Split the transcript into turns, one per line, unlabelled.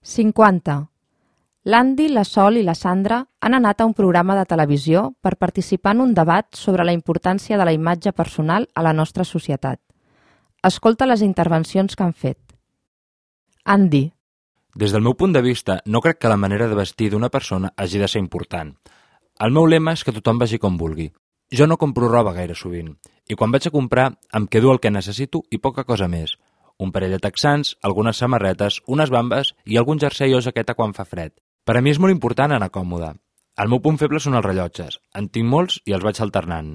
50. L'Andy, la Sol i la Sandra han anat a un programa de televisió per participar en un debat sobre la importància de la imatge personal a la nostra societat. Escolta les intervencions que han fet. Andy.
Des del meu punt de vista, no crec que la manera de vestir d'una persona hagi de ser important. El meu lema és que tothom vagi com vulgui. Jo no compro roba gaire sovint, i quan vaig a comprar em quedo el que necessito i poca cosa més. Un parell de texans, algunes samarretes, unes bambes i algun jersei o jaqueta quan fa fred. Per a mi és molt important anar còmode. El meu punt feble són els rellotges. En tinc molts i els vaig alternant.